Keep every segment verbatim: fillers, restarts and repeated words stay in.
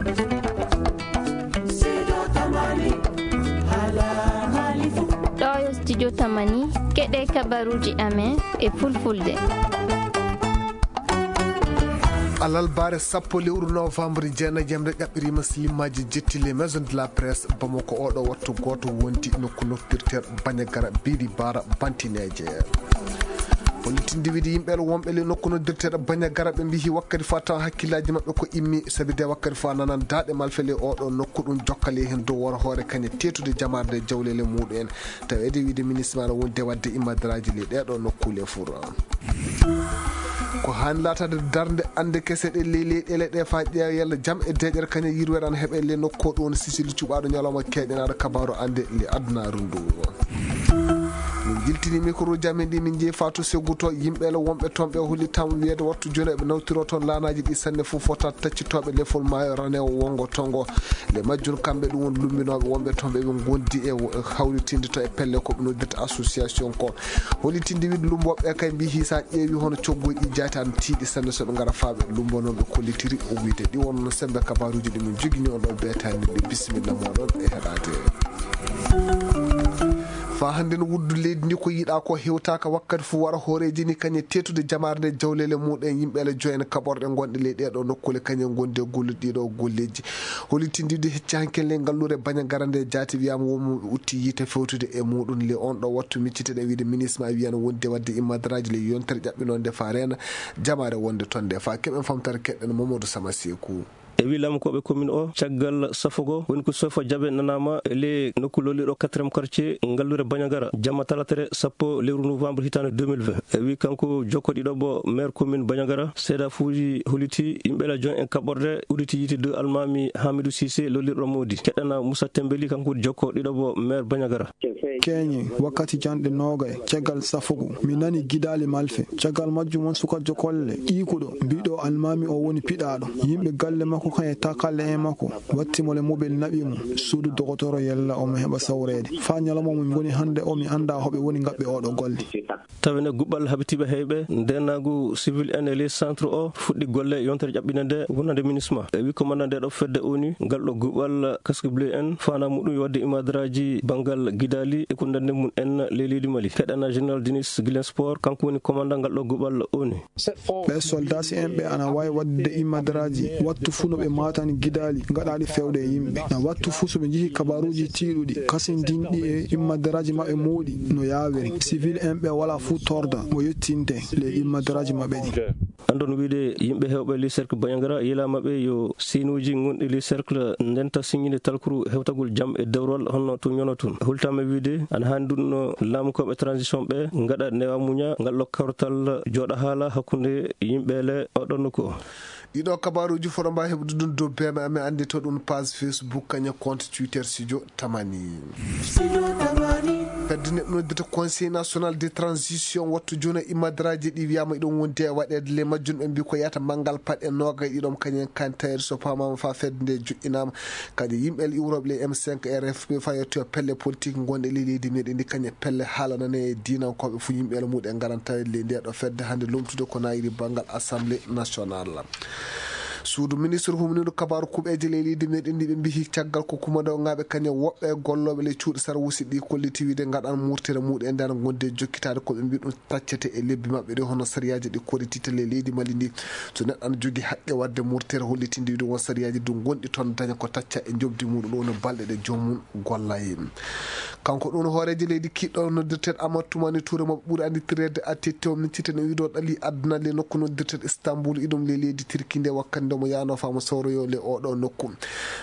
Ɗo yo studio Tamani, keɗe kabaruji amen e fulfulde. Alarba sappo lewru novembre, jeenayi jemre ƴaɓɓiriima, silimaji jetti les maisons de la presse Bamako. Oɗo wattu gooto wondi nokku noddirteeɗo Bandiagara Biri Bara Bantineeje. Hollitinde wiide yimɓe wonɓe le nokku noddirteeɗo Bandiagara, ɓe mbiyi wakkati faa tawa hakkillaaji maɓɓe ko immi, sabi de wakkati faa nanan daaɗe malfeɓe oɗo nokku, ɗum jokkale heen dow woro hoore kañe teetude jamaare nde jawleele muɗum en. Taweede wiide ministre maɓɓe wonde waɗde immadraaji le ɗeeɗo nokkuule fur. Ko haani laataade darnde annde kese ɗe ley leyɗeele ɗe faa ƴeewa yalla jam e deeƴere kañe yirwere ana heɓe le nokku ɗo woni Sicile cuɓaaɗo ñalawma keeƴanaaɗo kabaaru annde le adunaaru ndu. Min jiltini micro ji amen ɗi, min njehi faa to Ségou to, yimɓe le wonɓe toon ɓe hollitaama wiyeede wattu jooni eɓe nawtiro toon laanaaji ɗi sanne fof fota taccitooɓe lefol maayo ranewo wongo tongo. Le majjum kamɓe ɗum won lumbinooɓe wonɓe toon ɓe ɓe ngondi e wo-, hawritinde to e pelle ko ɓe noddirta association ko. Hollitinde wiide lumbooɓe kay mbiyi so a ƴeewi hono coggoy ɗi jaati ana tiiɗi sanne so ɓe ngara faa ɓe lumboo noon ɓe kollitiri o wiide ɗi won sembe kabaaruuji ɗi min jogini on ɗo beetaani ɗi bisimilla mooɗon e heɗaade. Faa hannde no wuddu leydi ndi ko yiɗaa ko hewtaaka wakkati fof wara hooreeji ni kañe teetude jamaare nde jawleele muɗum yimɓe le joyen kaɓorɗe ngonɗe ley ɗeeɗo nokkuule kañe ngondi e gollude ɗiɗo golleeji. Hollitinde wiide hecci hanke le ngalluure Bandiagara nde jaati wiyaama wonmo ɓe utti yiite fewtude e muɗum le on ɗo wattu micciteɗen wiide ministre ma wiyano wonde waɗde immadraaji le yontere ƴaɓɓinonde faa reena jamaare wonde toon nde faa keɓen famtare keɗɗen Mamadou Sama Seeku. E wi laamukooɓe commune o, caggal safogo woni ko sofa jaɓe nanaama e le nokku lolliɗo quatrième quartier ngalluure Bandiagara jamma talatere sappo lewru novembre hitaande deux mille vingt. E wi kanko jokkoɗiɗo bo maire commune Bandiagara, seedafuuji holliti yimɓe la joint en kaɓorɗe uditi yiite deux almaami Hamidou Cissé lollirɗo moodi. Keɗɗana Moussa Tembeli kanko jokkoɗiɗo bo maire Bandiagara. Keñe, wakkati janɗe noogay, caggal safugo, mi nani gidaali malfe. Caggal majjum won sukajo kolle, ɗiikuɗo, mbiɗo almaami o woni piɗaaɗo. Yimɓe galle makko kan e takalle en makko, watti mo le mobel naɓi mo, suudu dogotoro yalla omo heɓa sawreede. Faa ñalawma mo min ngoni hannde o, mi anndaa hoɓe woni ngaɓɓe oɗo golle. Tawene guɓɓal habitiiɓe heyɓe, ndeenaagu civil en e les centre o fuɗɗi golle yontere ƴaɓɓinde nde wonande minisma. E wi commandant nde ɗo fedde O N U, ngal ɗo guɓɓal casque bleu en, faanaa muɗum yo waɗde imadraaji banngal gidaali e ko nanndi mum en ley leydi Mali. Keɗana général Denis Guilensport, kanko woni commandant ngal ɗo guɓɓal O N U. Ɓee soldaasi en ɓe ana waawi waɗde imadraaji wattu fuu no ɓe maatani gidaali gaɗaaɗi fewde e yimɓe. Na wattu fuu so ɓe njihi kabaaruuji tiiɗuɗi, kasindinɗi e imadraaji maɓɓe mawɗi no yaawiri. Civil en ɓe walaa fuu torda mo yettinte ley imadraaji maɓɓe ɗi. Anndon wiide yimɓe heewɓe ley cercle Bandiagara yilaama ɓe yo siinuuji gonɗi ley cercle ndenta siññinde talkuru hewtagol jam e dewrol honno tun yono tun. Hultaama wiide ana haani ɗum no laamukooɓe transition ɓe ngaɗa newa muña ngal ɗo kawtal jooɗa haala hakkunde yimɓe le oɗon nokku o. Ɗiɗo kabaaruuji foto mba heɓude ɗum dow beeme amen anndi to ɗum page Facebook kaña compte Twitter Studio Tamani. Fedde nde noddirta Conseil National de Transition wattu jooni imadraaji ɗi wiyaama iɗon wondi e waɗeede le majjum ɓe mbi ko yata manngal paɗe noogay ɗiɗom kañen kan tawede so paamaama faa fedde nde joƴƴinaama. Kadi yimɓe iwrooɓe le M cinq R F P faa yettoyo pelle politique ngonɗe ley leydi meɗen ndi kañe pelle haalanane e diinankooɓe fuu yimɓe le muɗe ngaran tawede ley nde ɗo fedde hannde lomtude ko naayiri banngal Assemblée Nationale. Suudu ministre humniiɗo kabaaru kuɓeeje ley leydi meɗen ndi ɓe mbiyi caggal ko kumandawŋaaɓe kañe woɓɓe gollooɓe ley cuuɗi sarwusi ɗi kolliti wiide ngaɗan murtere muɗum e nder gonde jokkitaade ko ɓe mbi ɗum taccete e lebbi maɓɓe ɗi hono sariyaaji ɗi kollititta ley leydi Mali ndi. So neɗɗo ana jogi haqqe waɗde murtere hollitinde wiide won sariyaaji ɗi gonɗi toon daña ko tacca e njoɓdi muɗum ɗo no balɗe ɗe joomum golla e. Kanko ɗum hooreejo leydi kiɗɗo noddirteeɗo Amadou Toumani Touré mo ɓuri annditirede A T T o micciten e wiide o ɗali adduna le nokku noddirteeɗo Istanbul iɗum le leydi Tirki nde wakkati nde mo yaano faa mo sawroyo le oɗo nokku.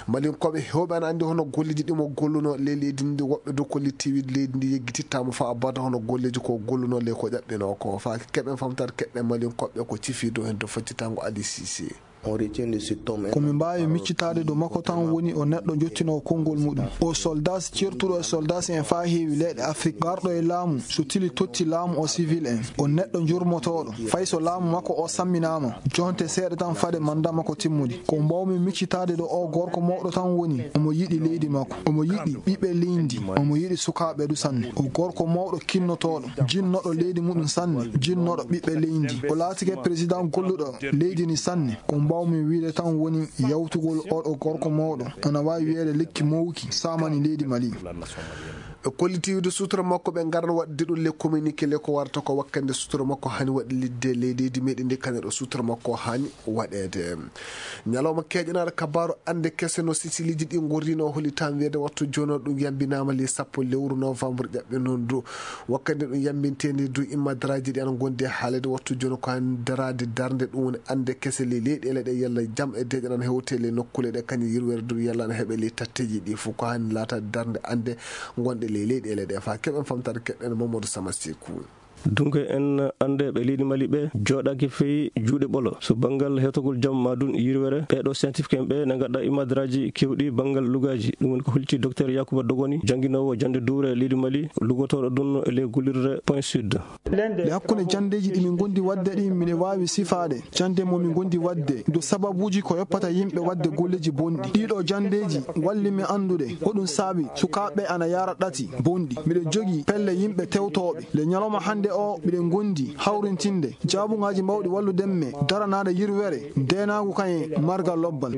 Malinkooɓe heewɓe ana anndi hono golleji ɗi mo golluno le leydi ndi woɓɓe dow kolliti wiide leydi ndi yeggitittaama faa abada hono golleji ko golluno le ko ƴaɓɓino ko faa keɓen famtare keɓɓen Malinkooɓe ko cifi dow heen to faccitango Ali Cissé. Ko min mbaawi miccitaade dow makko tan woni o neɗɗo jottinoowo konngol muɗum. O soldaas ceertuɗo e soldaas en faa heewi leyɗe Afrik, garɗo e laamu, so tili totti laamu o civil en. O neɗɗo njurmotooɗo, fay so laamu makko o samminaama, jonte seeɗa tan fade manda makko timmudi. Ko mbaawmi miccitaade ɗo o gorko mawɗo tan woni, omo yiɗi leydi makko, omo yiɗi ɓiɓɓe leydi, omo yiɗi sukaaɓe du sanne. O gorko mawɗo kinnotooɗo, jinnoɗo leydi muɗum sanne, jinnoɗo ɓiɓɓe leydi. O laatike président golluɗo leydi ni sanne. Ko Waawmi wiyde tan woni yawtugol oɗo gorko mawɗo, ana waawi wiyeede lekki mawki saamani leydi Mali. Ɓe kolliti wiyde suutura makko ɓe ngarno waɗde ɗum le communiqué le ko warata ko wakkande suutura makko hani waɗi lidde ley leydi meɗen ndi, kane ɗo suutura makko hani waɗeede. Ñalawma keeƴanaaɗo kabaaru annde kese no sisiliiji ɗi ngorrino holi tan wiyeede wattu jono ɗum yambinaama le sappo lewru novembre ƴaɓɓe noon du. Wakkati ɗum yambinteende du immadaraaji ɗi ana ngondi e haalede wattu jono ko han daraade darnde ɗum woni annde kese le leyɗeele ɗe yalla jam e deeƴan ana hewte le nokkuule ɗe kañum yirwere du yalla ana heɓe le tatteeji ɗi fof ko han laataade darnde annde ngonɗe le leyɗeele ɗe faa keɓen famtaade keɗɗen Mamadou Sama Sekou. Dunke en anndeeɓe leydi Mali ɓe jooɗaaki fey juuɗe ɓolo. So banngal heewtagol jam maa dun yirwere, ɓeeɗo scientifique en ɓe ne ngaɗa imadraaji keewɗi banngal lugaaji. Ɗum woni ko hulti Docteur Yacouba Dogoni, jannginoowo jannde duure leydi Mali, lugotooɗo dun e ley gollirde Point Sud. Nde hakkunde janndeeji ɗi min ngondi waɗde ɗi, miɗo waawi sifaade jannde mo min ngondi waɗde, do sababuuji ko yoppata yimɓe waɗde golleeji bonɗi. Ɗiɗo janndeeji walli mi anndude ko ɗum saabi sukaaɓe ana yara ɗati bonɗi. Miɗo jogii pelle yimɓe tewtooɓe. Le ñalawma hannde o, miɗen ngondi hawrintinde jaabungaaji mawɗi wallude me daranaade yirwere, ndeenaagu kañum e margal lobbal.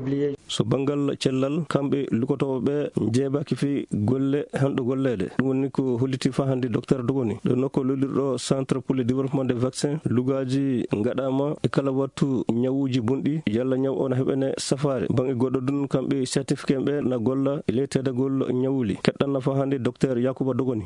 So banngal cellal, kamɓe lugotooɓe ɓe njeebaaki fii golle hanɗo golleede. Ɗum woni ko holliti faa hannde Docteur Dogoni. Ɗo nokku lollirɗo Centre pour le développement des vaccins, lugaaji ngaɗaama e kala wattu ñawuuji bonɗi, yalla ñaw o na heɓene safaare. Baŋŋe goɗɗo dun, kamɓe scientifique en ɓe na golla e ley teedagol ñawuli. Keɗɗan na faa hannde Docteur Yacouba Dogoni.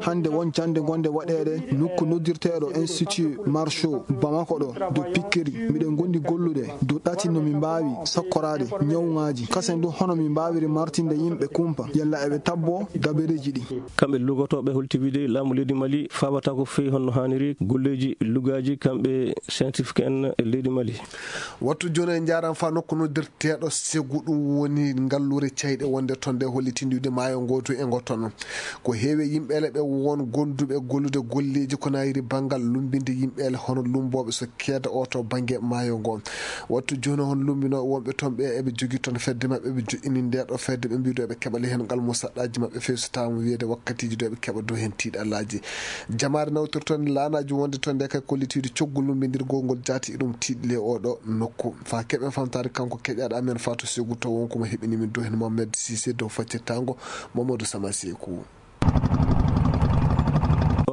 Hannde won jannde gonde waɗeede nokku noddirteeɗo Institut Marchot Bamako ɗo, do pikkiri. Miɗen gondi gollude do ɗati no mi mbaawi sakkoraade ñawŋaaji. Kasen du hono mi mbaawiri martinde yimɓe kumpa, yalla eɓe tabbo dabareeji ɗi. Kamɓe lugotooɓe holti wiide laamu leydi Mali faabataako fii honno haaniri golleeji lugaaji kamɓe scientifique en e leydi Mali. Wattu jooni en njaaran faa nokku noddirteeɗo Segu, ɗum woni ngalluure cayɗe wonde ton nde hollitinde wiide maayo ngo to e ngo tono. Ko heewi yimɓeele ɓe won gonduɓe gollude golleeji ko nayiri banngal lumbinde yimɓeele hono lumbooɓe so keeda o to bannge maayo ngo. Wattu jooni hon lumbinooɓe wonɓe ton ɓe eɓe jogii ton fedde maɓɓe, ɓe joɗɗini nde ɗo fedde, ɓe mbiɗo eɓe keɓa le hen ngal mo saɗɗaaji maɓɓe feewi so tawaama wiyeede wakkatiiji ɗo eɓe keɓa dow hen tiiɗalaaji. Jamaare nawtirton laanaaji wonde ton nde kay kollitiiɗo coggu lumbindirgol ngol jaati e ɗum tiiɗi le oɗo nokku. Faa keɓen famtaade kanko keƴaaɗo amen Fatou Segou to won ko mo heɓini min dow hen Mohamed Cissé dow faccirtaango Mamadou Sama Sekou.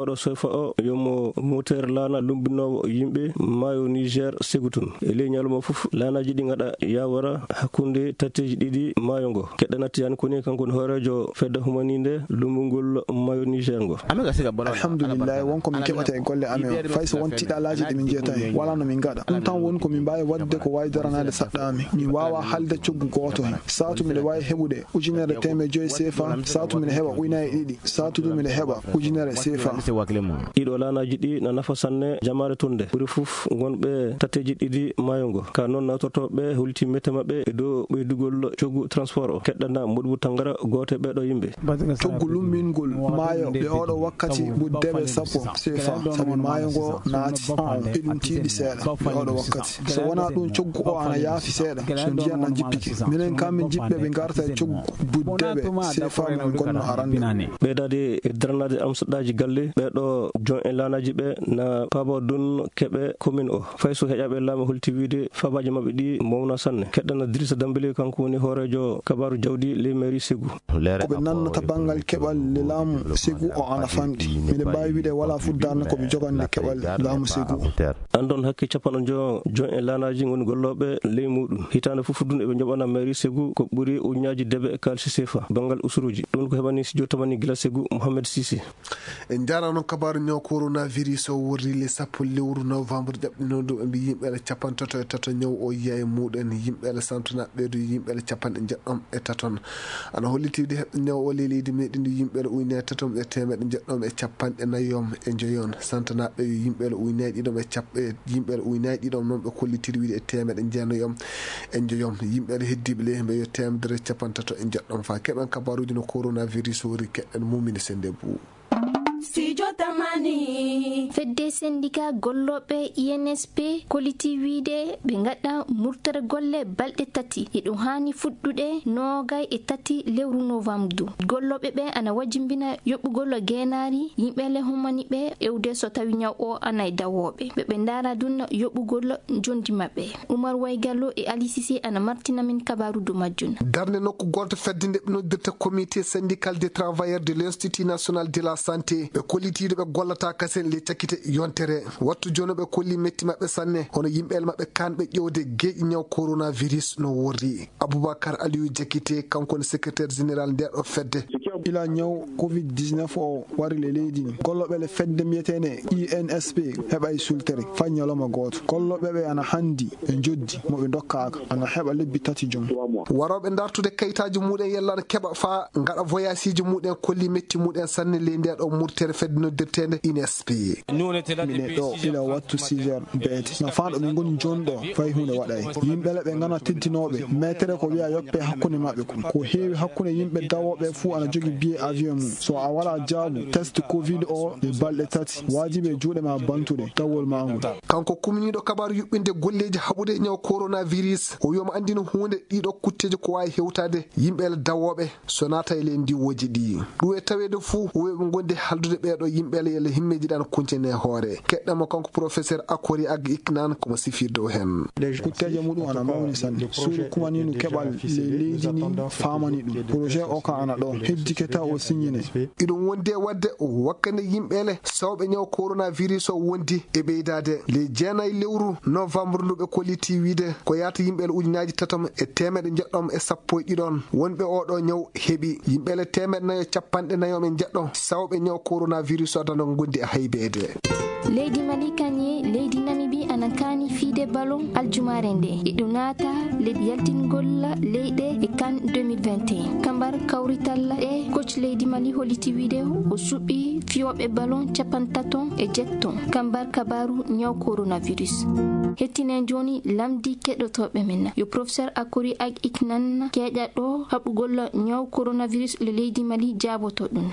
Oɗo sofa o yomo moteur laana lumbinoowo yimɓe maayo Niger Segu tun. E ley ñalawma fof laanaaji ɗi ngaɗa yawara hakkunde tatteeji ɗiɗi maayo ngo. Keɗɗa natti han koni kanko woni hooreejo fedde humaninde lumbungol maayo Niger ngo. Alhamdulillahi, won ko min keɓata e golle amen. Fay so won tiiɗalaaji ɗi min jeeta hen, wala no min ngaɗa. Ɗum tan woni ko min mbaawi waɗde ko waawi daranaade saɗɗa amen. Min waawa haalde coggu gooto hen. Saatu miɗo waawi heɓude ujunere teemeɗɗe joyi C F A, saatu miɗo heɓa ujunere ɗiɗi, saatu du miɗo heɓa ujunere C F A. Ɗiɗo laanaaji ɗi na nafa sanne jamaare tunde. Ɓuri fof ngonɓe tatteeji ɗiɗi maayo ngo. Ka noon nawtortooɓe holti mette maɓɓe e dow ɓeydugol coggu transport o. Keɗɗana Modibo Tangara, gooto e ɓeeɗo yimɓe. Coggu lumbingol maayo ɗe oɗo wakkati buddeɓe sappo C F A, sabi maayo ngo naati on e ɗum tiiɗi seeɗa ɗe oɗo wakkati. So wonaa ɗum, coggu o ana yaafi seeɗa, so ndiyan ɗan jippike. Minen kam min jiɗɓe ɓe ngarta e coggu buddeɓe C F A mo min gonno arande. Ɓeydaade e daranaade am saɗɗaaji galle, ɓeeɗo jon e laanaaji ɓe na paaba dun keɓe commune o. Fay so heƴaaɓe laamu holti wiide faabaaji maɓɓe ɗi mawna sanne. Keɗɗana Dirisa Dambele, kanko woni hooreejo kabaaru jawdi ley mairie Segu. Ko ɓe nannata banngal keɓal le laamu Segu o ana famɗi. Miɗo mbaawi wiide wala fof darnde ko ɓe jogande keɓal laamu Segu o. Anndon hakke capanɗe njo-, jon e laanaaji ngoni gollooɓe ley muuɗum. Hitaande fof dun eɓe njoɓana mairie Segu ko ɓuri ujunnaaji debe kaalisi C F A. Banngal usuruuji. Ɗum ko heɓani studio tamani gila Segu, Mohamed Cissé. En njaarano kabaaru ñaw coronavirus o worri le sappo lewru novembre ƴaɓɓino ɗum. Ɓe mbi yimɓeele capantato e tato ñaw o yiya e muɗen, yimɓeele santonaaɓe ɓe du yimɓeele capanɗe jeɗɗom e taton. Ana holliti wiide heɓɓe ñaw o le leydi meɗen du yimɓeele ujunere tatom e teemeɗɗe jeɗɗom e capanɗe nayom e njoyon. Santonaaɓe yo yimɓeele ujunere ɗiɗom e cap-, e yimɓeele ujunere ɗiɗom noon ɓe kollitiri wiide e teemeɗɗe jeenayom e njoyon. Yimɓeele heddiiɓe le hemɓe yo teemedere capantato e jeɗɗom. Faa keɓen kabaaruuji no coronavirus worri keɗɗen Mumine Sende Bou. Studio Tamani. Fedde sendika gollooɓe I N S P kollitii wiide ɓe ngaɗa murtere golle balɗe tati. Eɗum haani fuɗɗude noogay e tati lewru novembre. Gollooɓe ɓe ana wajimbina yoɓugol geenaari yimɓe le hummani ɓe ewde so tawi ñaw o ana e dawooɓe. Ɓe ɓe ndaara dun yoɓugol njondi maɓɓe. Umar Waygallo e Ali Sise ana martina min kabaaru do majjun. Darnde nokku gooto fedde nde ɓe noddirta Comité syndical des travailleurs de l'Institut national de la santé, ɓe kollitiiɗo ɓe gollata kasen le cakkite yontere. Wattu jono ɓe kolli metti maɓɓe sanne, hono yimɓe el maɓɓe kanɓe ƴewde geeƴi ñaw coronavirus no worri. Aboubacar Aliou Diakité, kanko woni secrétaire général nde ɗo fedde. Ila ñaw covid dix-neuf o wari le leydi ni, gollooɓe le fedde mbiyeteende I N S P heɓay sultere fay ñalawma gooto. Gollooɓe ɓe ana handi e njoddi mo ɓe ndokkaaka, ana heɓa lebbi tati jom. Warooɓe dartude kayitaaji muɗen yalla ana keɓa faa ngaɗa voyageeji muɗen kolli metti muɗen sanne ley nde ɗo murtere fedde noddirteende I N S P. Mine ɗo ila wattu six heures beete. No faa ɗo min ngoni jooni ɗo, fay huunde waɗay. Yimɓe le ɓe ngana teddinooɓe, meetere ko wiya yoppe hakkunde maɓɓe kon. Ko heewi hakkunde yimɓe dawooɓe fuu ana jogi billet avion mum. So a walaa jaabu test covid o e balɗe tati, waajibi e juuɗe ma bantude dawol ma ngol. Kanko kuminiiɗo kabaaru yuɓɓinde golleeji haɓude e ñaw coronavirus, o wi'ama anndino huunde ɗiɗo kutteeji ko waawi hewtaade yimɓe le dawooɓe so naata e ley ndiwooji ɗi. Ɗum e taweede fuu, woɓɓe ngonde haldude ɓeeɗo yimɓe le yalla himmeeji ɗan kuncene hoore. Keɗɗamo kanko professeur Akori Ag Iknan komo sifir dow hen. Kutteeje muɗum ana mawni sanne. Suudu kumaniinu keɓal le leydi ndin faamani ɗum. Projet o ka ana ɗo. Heddike taw o signine. Iɗum wondi e waɗde wakkande yimɓe le sawɓe ñaw coronavirus o wondi e ɓeydaade. Le jeenayi lewru novembre ndu ɓe kolliti wiide ko yaata yimɓe le ujunaaji tatom e teemeɗe njeɗɗom e sappo e ɗiɗon wonɓe oo ɗoo ñaw heɓi. Yimɓe le teemeɗe nayo capanɗe nayo men njeɗɗo sawɓe ñaw coronavirus o adano ngondi e haybeede. Leydi Mali kanye leydi Namibi ana kaani fiide ballon aljumaare nde. Iɗo naata leydi yaltingol leyɗe e kan deux mille vingt et un. Kambar kawrital e coach leydi Mali holliti wiide o suɓi fiyooɓe ballon capantato e jeɗɗo. Kambar kabaaru ñaw coronavirus. Hettinen jooni lamdi keɗotooɓe men. Yo professeur Akori Ag Iknan keeƴa ɗo haɓugol ñaw coronavirus le leydi Mali jaaboto ɗum.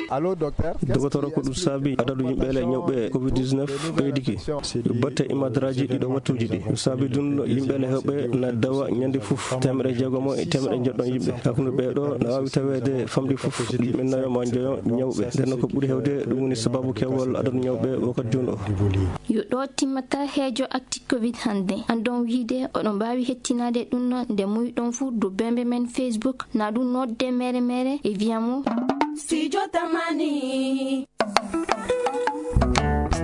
Allo, docteur. Dogotoro, ko ɗum saabi adadu yimɓe le ñawɓe covid dix-neuf ɓeydiki. Yo batte imadraji ɗiɗo wattuji ɗi. Ɗum saabi ɗum yimɓe le hewɓe na dawa ñande fof teemeɗe jeegomo e teemeɗe jeɗɗo yimɓe. Hakkunde ɓe ɗo na waawi taweede famɗi fof yimɓe nayo ma njoyo ñawɓe. Nden ko ɓuri hewde ɗum woni sababu kewol adadu ñawɓe wakkati jooni o. Yo ɗo timmata heejo acti covid hannde. Andon wiide oɗon mbaawi hettinaade ɗum no nde muyɗon fuu dow bembe men Facebook, na ɗum nodde mere mere e via mo. Studio Tamani.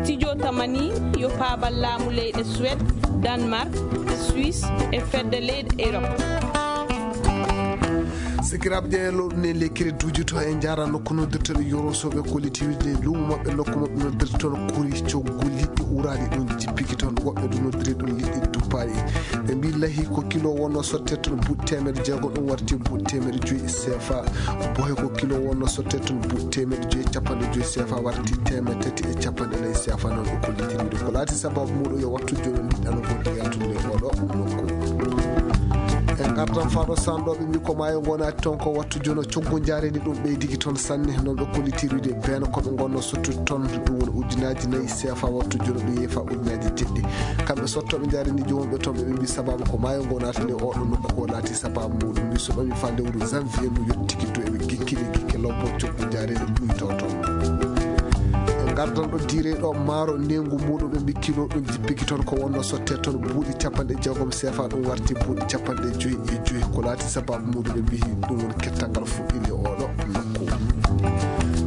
Studio Tamani yo paabal laamu leyɗe Suède, Danemark, Suisse e fedde leyɗe Europe. Sikiraaɓe ƴeeñe lowɗo ne lekkere duuji to e njaara nokku noddirteɗo yorosoɓe kollitiiwde luumo maɓɓe nokku maɓɓe noddirte toon kuri coggol liɗɗi uuraaɗi ɗum jippiki toon woɓɓe ɗum noddiri ɗum liɗɗi duppaaɗi. Ɓe mbii lahi ko kilo wonno sotte toon buuɗi teemeɗe jeego ɗum warti buuɗi teemeɗe joyi C F A. Bohe ko kilo wonno sotte toon buuɗi teemeɗe joyi capanɗe joyi C F A warti teemeɗe tati e capanɗe nayi C F A noon o kollitiri ɗum ko laati sababu muɗum yo wattu jooni liɗɗano ko yaltude oɗo nokku. En ngartan faro sanɗoɓe mbi ko maayo gonati toon ko wattu jono coggu jareni ɗum ɓeydiki toon sanne noon ɓe kollitirude beno koɓe gonno sottude toon ɗum woni ujunnaji nayi C F A wattu jono ɗum yeefa ujunnaji jeɗɗi. Kamɓe sottoɓe jareni jowonɓe toon ɓe ɓe mbi sababu ko maayo gonati nde oɗo nokku ko laati sababu muɗum mbi so ɓami fa lewru janvier ndu yettiki to eɓe gikkini gikke lobbo coggu jareni ɗuyto toon. En gardan ɗo diire ɗo maaro nengu muɗum ɓe mbi kilo ɗum jippiki toon ko wonno sotte toon buuɗi capanɗe jeegom sefa ɗum warti buuɗi capanɗe joyi e joyi ko laati sababu muɗum ɓe mbi ɗum woni kettangal fuɗɗinde oɗo nokku.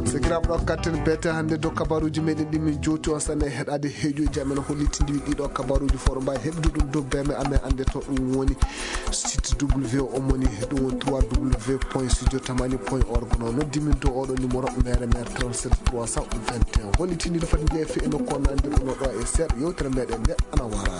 Sakiraaɓe ɗo katten beete hannde dow kabaruuji meɗen ɗi min jowti on sanne e heɗaade heeƴuuji amen hollitindi ɗiɗo kabaruuji fof ɗo mbawi heɓde ɗum dow beme amen annde to ɗum woni site W O moni ɗum woni trois W point studio tamani point org no noddi min dow oɗo numéro mere mere trente-sept trois cent vingt et un hollitindi ɗo fati jeefe e nokku on annde ɗum ɗo e seeɗa yewtere meɗen nde ana wara.